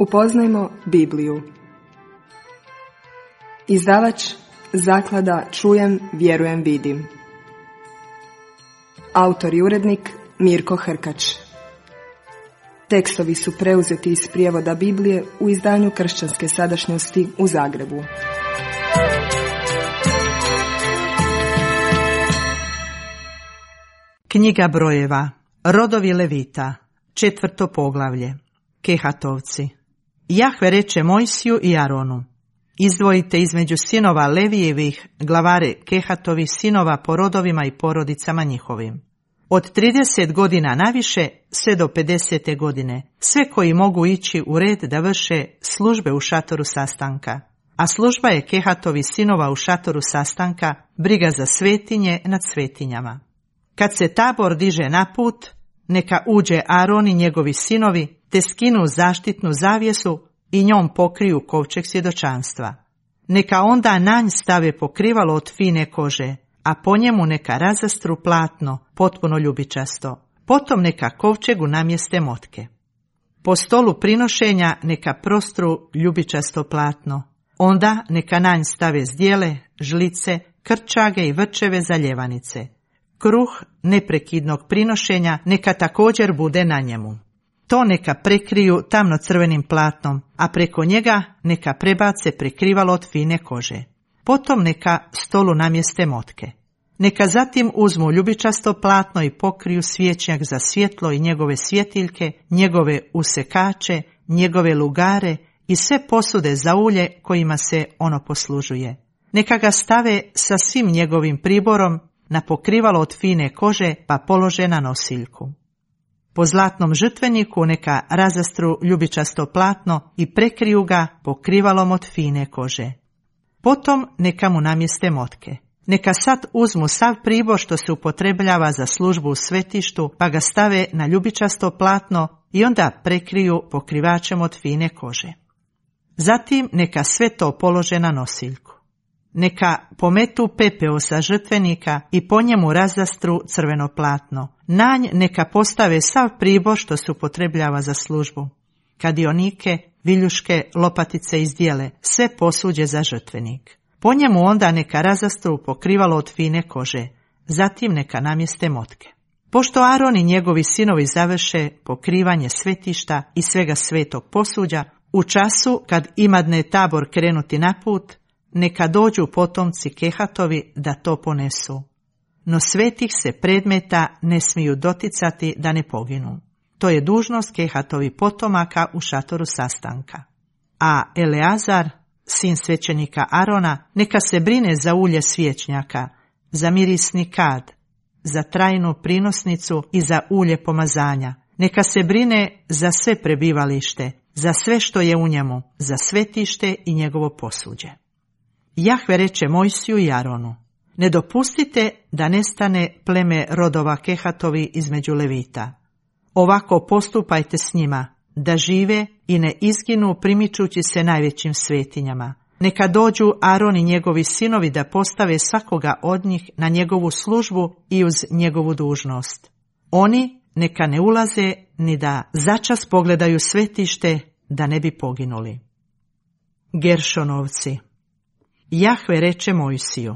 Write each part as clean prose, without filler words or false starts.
Upoznajmo Bibliju. Izdavač Zaklada Čujem, vjerujem, vidim. Autor i urednik Mirko Hrkač. Tekstovi su preuzeti iz prijevoda Biblije u izdanju Kršćanske sadašnjosti u Zagrebu. Knjiga brojeva. Rodovi Levita. 4. poglavlje. Kehatovci. Jahve reče Mojsiju i Aronu: izdvojite između sinova Levijevih glavare Kehatovih sinova po rodovima i porodicama njihovim. Od 30 godina naviše sve do 50. godine, sve koji mogu ići u red da vrše službe u šatoru sastanka. A služba je Kehatovi sinova u šatoru sastanka, briga za svetinje nad svetinjama. Kad se tabor diže na put, neka uđe Aron i njegovi sinovi, te skinu zaštitnu zavjesu i njom pokriju kovčeg svjedočanstva. Neka onda na nj stave pokrivalo od fine kože, a po njemu neka razastru platno, potpuno ljubičasto. Potom neka kovčegu namjeste motke. Po stolu prinošenja neka prostru ljubičasto platno. Onda neka na nj stave zdjele, žlice, krčage i vrčeve za ljevanice. Kruh neprekidnog prinošenja neka također bude na njemu. To neka prekriju tamno crvenim platnom, a preko njega neka prebace prekrivalo od fine kože. Potom neka stolu namjeste motke. Neka zatim uzmu ljubičasto platno i pokriju svječnjak za svjetlo i njegove svjetiljke, njegove usekače, njegove lugare i sve posude za ulje kojima se ono poslužuje. Neka ga stave sa svim njegovim priborom na pokrivalo od fine kože pa polože na nosiljku. Po zlatnom žrtveniku neka razastru ljubičasto platno i prekriju ga pokrivalom od fine kože. Potom neka mu namjeste motke. Neka sad uzmu sav pribor što se upotrebljava za službu u svetištu, pa ga stave na ljubičasto platno i onda prekriju pokrivačem od fine kože. Zatim neka sve to polože na nosiljku. Neka pometu pepeo sa žrtvenika i po njemu razastru crveno platno. Na nj neka postave sav pribor što se upotrebljava za službu. Kadionike, viljuške, lopatice i zdjele, sve posuđe za žrtvenik. Po njemu onda neka razastru pokrivalo od fine kože. Zatim neka namjeste motke. Pošto Aron i njegovi sinovi završe pokrivanje svetišta i svega svetog posuđa, u času kad imadne tabor krenuti na put, neka dođu potomci Kehatovi da to ponesu. No svetih se predmeta ne smiju doticati da ne poginu. To je dužnost Kehatovi potomaka u šatoru sastanka. A Eleazar, sin svećenika Arona, neka se brine za ulje svječnjaka, za mirisni kad, za trajnu prinosnicu i za ulje pomazanja. Neka se brine za sve prebivalište, za sve što je u njemu, za svetište i njegovo posuđe. Jahve reče Mojsiju i Aronu: ne dopustite da nestane pleme rodova Kehatovi između Levita. Ovako postupajte s njima, da žive i ne izginu primičući se najvećim svetinjama. Neka dođu Aron i njegovi sinovi da postave svakoga od njih na njegovu službu i uz njegovu dužnost. Oni neka ne ulaze ni da začas pogledaju svetište da ne bi poginuli. Geršonovci. Jahve reče Mojsiju: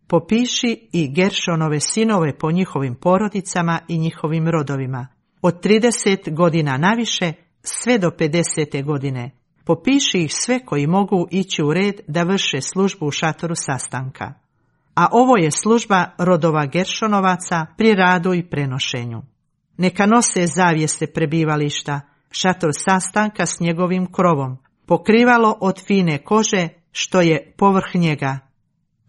popiši i Geršonove sinove po njihovim porodicama i njihovim rodovima, od 30 godina naviše sve do 50. godine. Popiši ih sve koji mogu ići u red da vrše službu u šatoru sastanka. A ovo je služba rodova Geršonovaca pri radu i prenošenju. Neka nose zavjese prebivališta, šator sastanka s njegovim krovom, pokrivalo od fine kože što je povrh njega,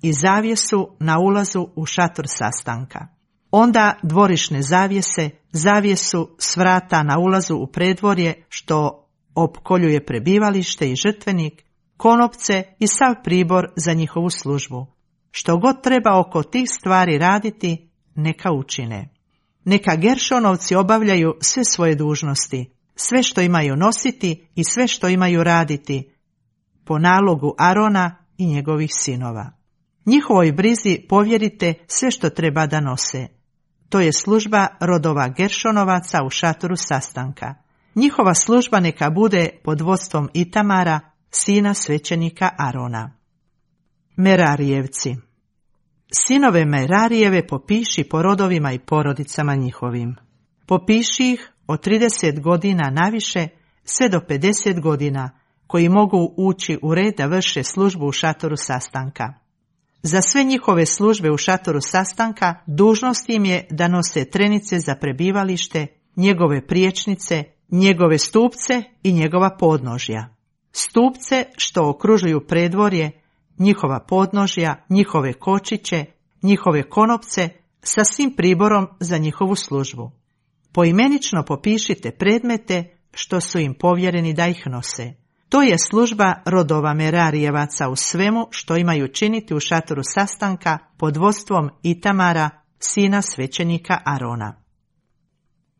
i zavjesu na ulazu u šator sastanka. Onda dvorišne zavjese, zavjesu s vrata na ulazu u predvorje što opkoljuje prebivalište i žrtvenik, konopce i sav pribor za njihovu službu. Što god treba oko tih stvari raditi, neka učine. Neka Geršonovci obavljaju sve svoje dužnosti, sve što imaju nositi i sve što imaju raditi, po nalogu Arona i njegovih sinova. Njihovoj brizi povjerite sve što treba da nose. To je služba rodova Geršonovaca u šatoru sastanka. Njihova služba neka bude pod vodstvom Itamara, sina svećenika Arona. Merarijevci. Sinove Merarijeve popiši po rodovima i porodicama njihovim. Popiši ih od 30 godina naviše sve do 50 godina, koji mogu ući u red da vrše službu u šatoru sastanka. Za sve njihove službe u šatoru sastanka dužnost im je da nose trenice za prebivalište, njegove priječnice, njegove stupce i njegova podnožja. Stupce što okružuju predvorje, njihova podnožja, njihove kočiće, njihove konopce sa svim priborom za njihovu službu. Poimenično popišite predmete što su im povjereni da ih nose. To je služba rodova Merarijevaca u svemu što imaju činiti u šatoru sastanka pod vodstvom Itamara, sina svećenika Arona.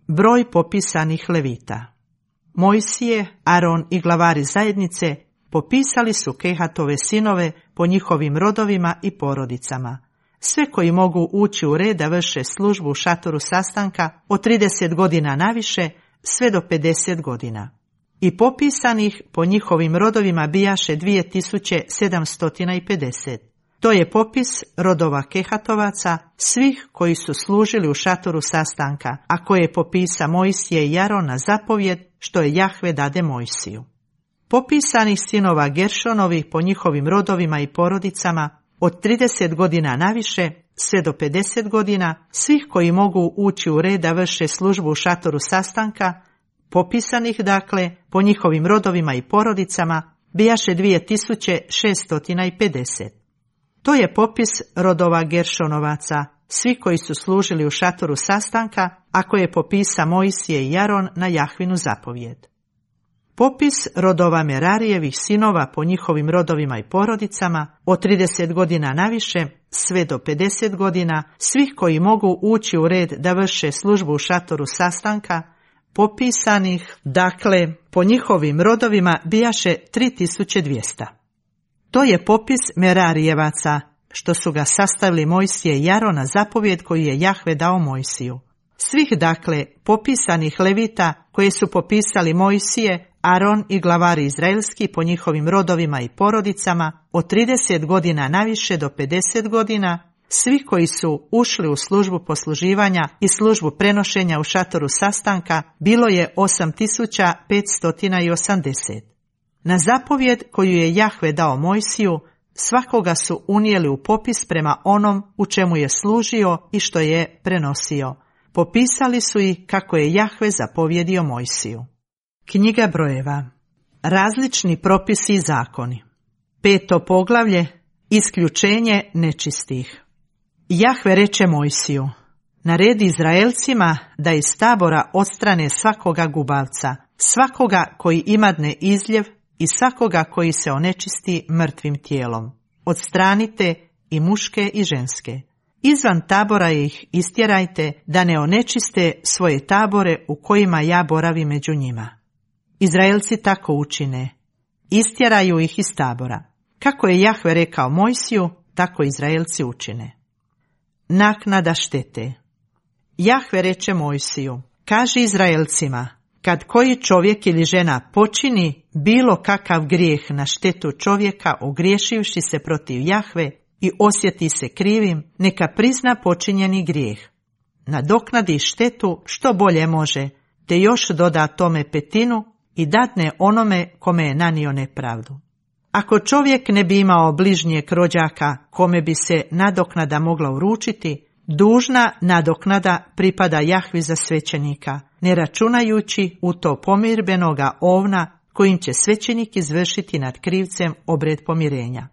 Broj popisanih Levita. Mojsije, Aron i glavari zajednice popisali su Kehatove sinove po njihovim rodovima i porodicama, sve koji mogu ući u red da vrše službu u šatoru sastanka od 30 godina naviše sve do 50 godina. I popisanih po njihovim rodovima bijaše 2750. To je popis rodova Kehatovaca, svih koji su služili u šatoru sastanka, a koje popisa Mojsije i Aron na zapovjed što je Jahve dade Mojsiju. Popisanih sinova Geršonovih po njihovim rodovima i porodicama od 30 godina naviše sve do 50 godina, svih koji mogu ući u red da vrše službu u šatoru sastanka, popisanih dakle po njihovim rodovima i porodicama, bijaše 2650. To je popis rodova Geršonovaca, svi koji su služili u šatoru sastanka, a koje popisa Mojsije i Aron na Jahvinu zapovjed. Popis rodova Merarijevih sinova po njihovim rodovima i porodicama od 30 godina naviše sve do 50 godina, svih koji mogu ući u red da vrše službu u šatoru sastanka, popisanih, dakle, po njihovim rodovima bijaše 3200. To je popis Merarijevaca, što su ga sastavili Mojsije i Aron na zapovjed koju je Jahve dao Mojsiju. Svih, dakle, popisanih Levita koje su popisali Mojsije, Aron i glavari izraelski po njihovim rodovima i porodicama od 30 godina naviše do 50 godina, svi koji su ušli u službu posluživanja i službu prenošenja u šatoru sastanka, bilo je 8580. Na zapovjed koju je Jahve dao Mojsiju, svakoga su unijeli u popis prema onom u čemu je služio i što je prenosio. Popisali su ih kako je Jahve zapovjedio Mojsiju. Knjiga brojeva. Različni propisi i zakoni. 5. poglavlje. Isključenje nečistih. Jahve reče Mojsiju: naredi Izraelcima da iz tabora odstrane svakoga gubavca, svakoga koji imadne izljev i svakoga koji se onečisti mrtvim tijelom. Odstranite i muške i ženske. Izvan tabora ih istjerajte da ne onečiste svoje tabore u kojima ja boravim među njima. Izraelci tako učine. Istjeraju ih iz tabora. Kako je Jahve rekao Mojsiju, tako Izraelci učine. Naknada štete. Jahve reče Mojsiju: kaži Izraelcima, kad koji čovjek ili žena počini bilo kakav grijeh na štetu čovjeka ogriješivši se protiv Jahve i osjeti se krivim, neka prizna počinjeni grijeh. Nadoknadi štetu što bolje može, te još doda tome 1/5 i dadne onome kome je nanio nepravdu. Ako čovjek ne bi imao bližnjeg rođaka kome bi se nadoknada mogla uručiti, dužna nadoknada pripada Jahvi za svećenika, ne računajući u to pomirbenoga ovna kojim će svećenik izvršiti nad krivcem obred pomirenja.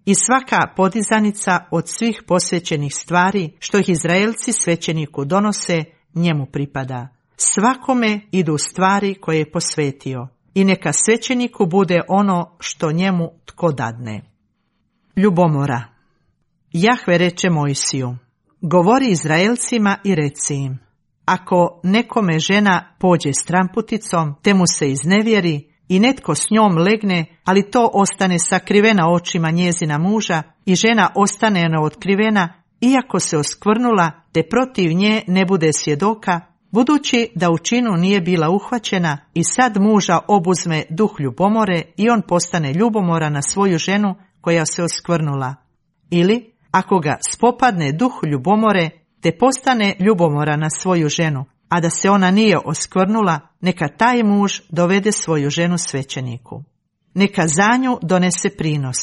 I svaka podizanica od svih posvećenih stvari što ih Izraelci svećeniku donose, njemu pripada. Svakome idu stvari koje je posvetio i neka svećeniku bude ono što njemu tko dadne. Ljubomora. Jahve reče Mojsiju: govori Izraelcima i reci im: ako nekome žena pođe stramputicom, te mu se iznevjeri i netko s njom legne, ali to ostane sakrivena očima njezina muža i žena ostane neotkrivena, iako se oskvrnula, te protiv nje ne bude svjedoka, Budući da u činu nije bila uhvaćena i sad muža obuzme duh ljubomore i on postane ljubomoran na svoju ženu koja se oskvrnula. Ili, ako ga spopadne duh ljubomore, te postane ljubomoran na svoju ženu, a da se ona nije oskvrnula, neka taj muž dovede svoju ženu svećeniku. Neka za nju donese prinos,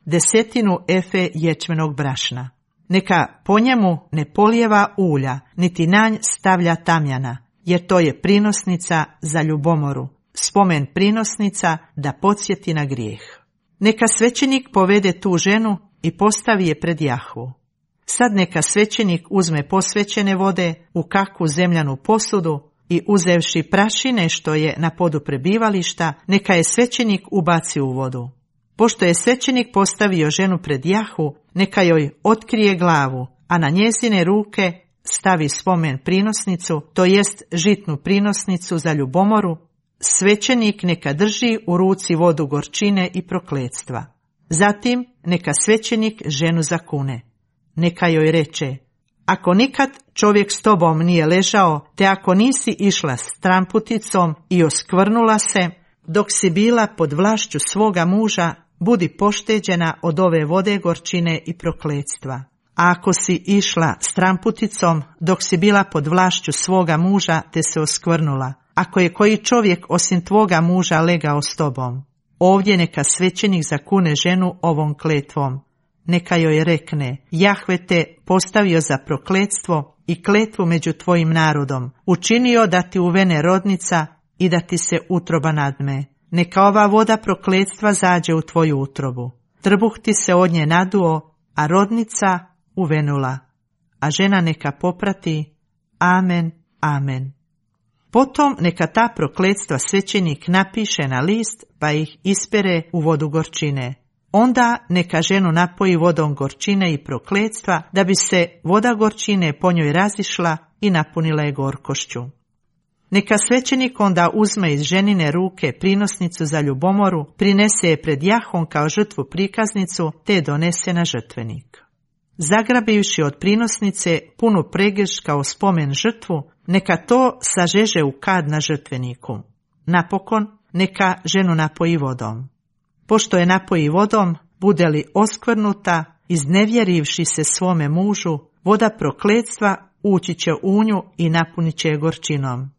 10 efe ječmenog brašna. Neka po njemu ne polijeva ulja, niti na nj stavlja tamjana, jer to je prinosnica za ljubomoru, spomen prinosnica da podsjeti na grijeh. Neka svećenik povede tu ženu i postavi je pred Jahvu. Sad neka svećenik uzme posvećene vode u kakvu zemljanu posudu i uzevši prašine što je na podu prebivališta, neka je svećenik ubaci u vodu. Pošto je svećenik postavio ženu pred Jahvu, neka joj otkrije glavu, a na njezine ruke stavi spomen prinosnicu, to jest žitnu prinosnicu za ljubomoru. Svećenik neka drži u ruci vodu gorčine i prokletstva. Zatim neka svećenik ženu zakune. Neka joj reče: ako nikad čovjek s tobom nije ležao, te ako nisi išla stramputicom i oskvrnula se, dok si bila pod vlašću svoga muža, budi pošteđena od ove vode gorčine i prokletstva. A ako si išla stramputicom, dok si bila pod vlašću svoga muža, te se oskvrnula, ako je koji čovjek osim tvoga muža legao s tobom, ovdje neka svećenik zakune ženu ovom kletvom. Neka joj rekne: Jahve te postavio za prokletstvo i kletvu među tvojim narodom, učinio da ti uvene rodnica i da ti se utroba nadme. Neka ova voda prokletstva zađe u tvoju utrobu. Trbuh ti se od nje naduo, a rodnica uvenula. A žena neka poprati: Amen, amen. Potom neka ta prokletstva svećenik napiše na list, pa ih ispere u vodu gorčine. Onda neka ženu napoji vodom gorčine i prokletstva, da bi se voda gorčine po njoj razišla i napunila je gorkošću. Neka svećenik onda uzme iz ženine ruke prinosnicu za ljubomoru, prinese je pred Jahvom kao žrtvu prikaznicu, te je donese na žrtvenik. Zagrabivši od prinosnice punu pregršt kao spomen žrtvu, neka to sažeže u kad na žrtveniku. Napokon neka ženu napoji vodom. Pošto je napoji vodom, bude li oskvrnuta, iznevjerivši se svome mužu, voda prokletstva ući će u nju i napunit će je gorčinom.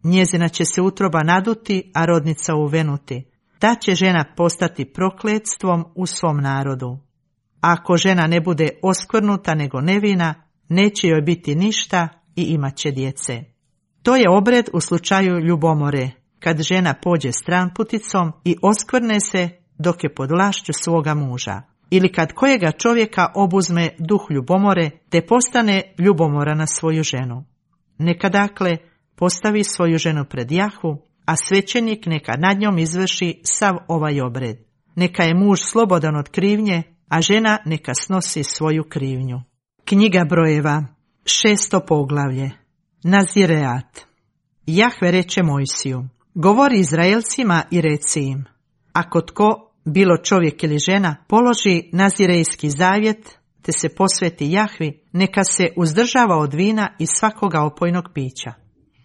Njezina će se utroba naduti, a rodnica uvenuti. Ta će žena postati prokletstvom u svom narodu. A ako žena ne bude oskvrnuta nego nevina, neće joj biti ništa i imat će djece. To je obred u slučaju ljubomore, kad žena pođe stranputicom i oskvrne se dok je pod vlašću svoga muža, ili kad kojega čovjeka obuzme duh ljubomore, te postane ljubomora na svoju ženu. Neka dakle postavi svoju ženu pred Jahvu, a svećenik neka nad njom izvrši sav ovaj obred. Neka je muž slobodan od krivnje, a žena neka snosi svoju krivnju. Knjiga brojeva, 6. poglavlje. Nazireat. Jahve reče Mojsiju: govori Izraelcima i reci im: ako tko, bilo čovjek ili žena, položi nazirejski zavjet, te se posveti Jahvi, neka se uzdržava od vina i svakoga opojnog pića.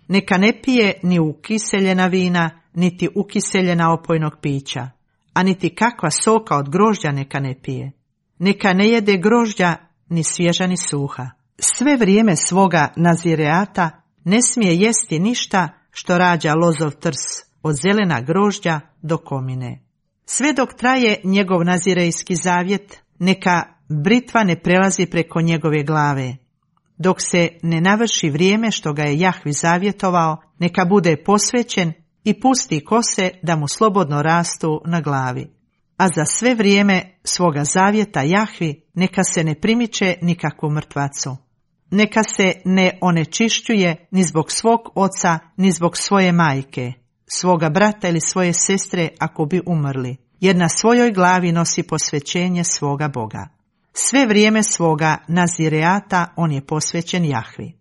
Neka ne pije ni ukiseljena vina, niti ukiseljena opojnog pića, a niti kakva soka od grožđa neka ne pije. Neka ne jede grožđa, ni svježa ni suha. Sve vrijeme svoga nazireata ne smije jesti ništa što rađa lozov trs, od zelena grožđa do komine. Sve dok traje njegov nazirejski zavjet, neka britva ne prelazi preko njegove glave. Dok se ne navrši vrijeme što ga je Jahvi zavjetovao, neka bude posvećen i pusti kose da mu slobodno rastu na glavi. A za sve vrijeme svoga zavjeta Jahvi neka se ne primiče nikakvu mrtvacu. Neka se ne onečišćuje ni zbog svog oca, ni zbog svoje majke, svoga brata ili svoje sestre ako bi umrli, jer na svojoj glavi nosi posvećenje svoga Boga. Sve vrijeme svoga nazireata on je posvećen Jahvi.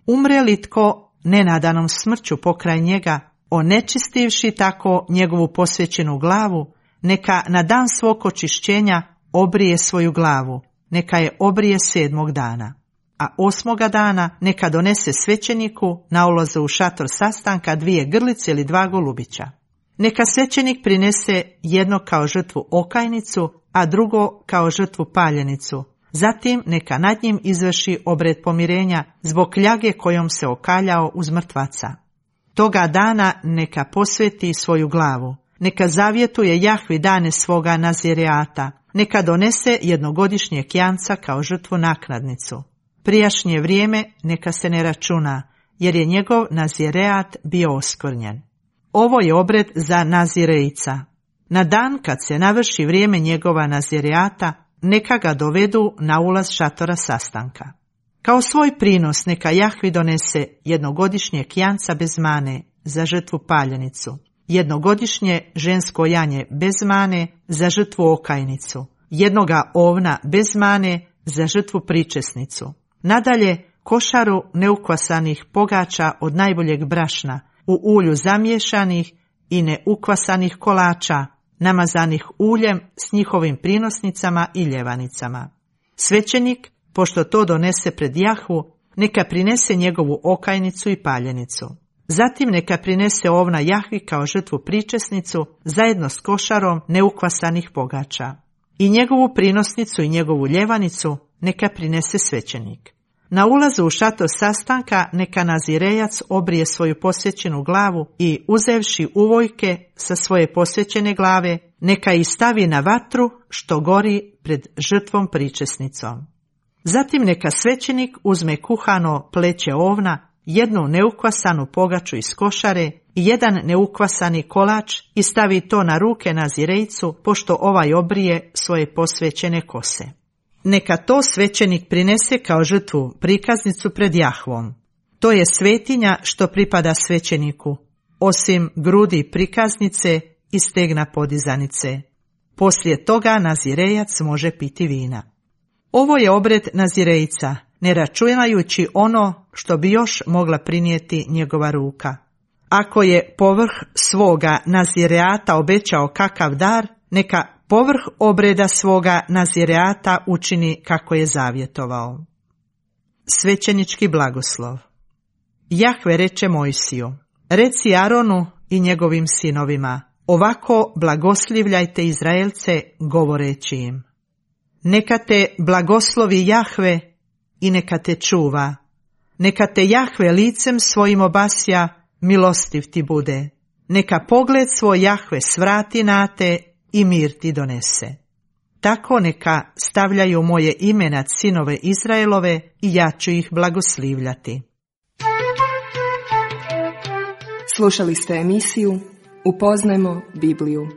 Umre li tko nenadanom smrću pokraj njega, onečistivši tako njegovu posvećenu glavu, neka na dan svog očišćenja obrije svoju glavu, neka je obrije 7. dana. a 8. dana neka donese svećeniku na ulazu u šator sastanka 2 grlice ili 2 golubića. Neka svećenik prinese jedno kao žrtvu okajnicu, a drugo kao žrtvu paljenicu. Zatim neka nad njim izvrši obred pomirenja zbog kljage kojom se okaljao uz mrtvaca. Toga dana neka posveti svoju glavu. Neka zavjetuje Jahvi dane svoga nazireata. Neka donese jednogodišnjeg janca kao žrtvu naknadnicu. Prijašnje vrijeme neka se ne računa, jer je njegov nazireat bio oskvrnjen. Ovo je obred za nazirejca. Na dan kad se navrši vrijeme njegova nazireata, neka ga dovedu na ulaz šatora sastanka. Kao svoj prinos neka Jahvi donese jednogodišnjeg janca bez mane za žrtvu paljenicu, jednogodišnje žensko janje bez mane za žrtvu okajnicu, jednoga ovna bez mane za žrtvu pričesnicu. Nadalje, košaru neukvasanih pogača od najboljeg brašna, u ulju zamiješanih i neukvasanih kolača, namazanih uljem s njihovim prinosnicama i ljevanicama. Svećenik, pošto to donese pred Jahvu, neka prinese njegovu okajnicu i paljenicu. Zatim neka prinese ovna Jahvi kao žrtvu pričesnicu zajedno s košarom neukvasanih pogača. I njegovu prinosnicu i njegovu ljevanicu neka prinese svećenik. Na ulazu u šator sastanka neka nazirejac obrije svoju posvećenu glavu i uzevši uvojke sa svoje posvećene glave, neka ih stavi na vatru što gori pred žrtvom pričesnicom. Zatim neka svećenik uzme kuhano pleće ovna, jednu neukvasanu pogaču iz košare i jedan neukvasani kolač i stavi to na ruke nazirejcu, pošto ovaj obrije svoje posvećene kose. Neka to svećenik prinese kao žrtvu prikaznicu pred Jahvom. To je svetinja što pripada svećeniku, osim grudi prikaznice i stegna podizanice. Poslije toga nazirejac može piti vina. Ovo je obred nazirejca, ne računajući ono što bi još mogla prinijeti njegova ruka. Ako je povrh svoga nazireata obećao kakav dar, neka povrh obreda svoga nazireata učini kako je zavjetovao. Svećenički blagoslov. Jahve reče Mojsiju: reci Aronu i njegovim sinovima, ovako blagoslivljajte Izraelce govoreći im: neka te blagoslovi Jahve i neka te čuva. Neka te Jahve licem svojim obasja, milostiv ti bude. Neka pogled svoj Jahve svrati na te i mir ti donese. Tako neka stavljaju moje ime nad sinove Izraelove i ja ću ih blagoslivljati. Slušali ste emisiju Upoznajmo Bibliju.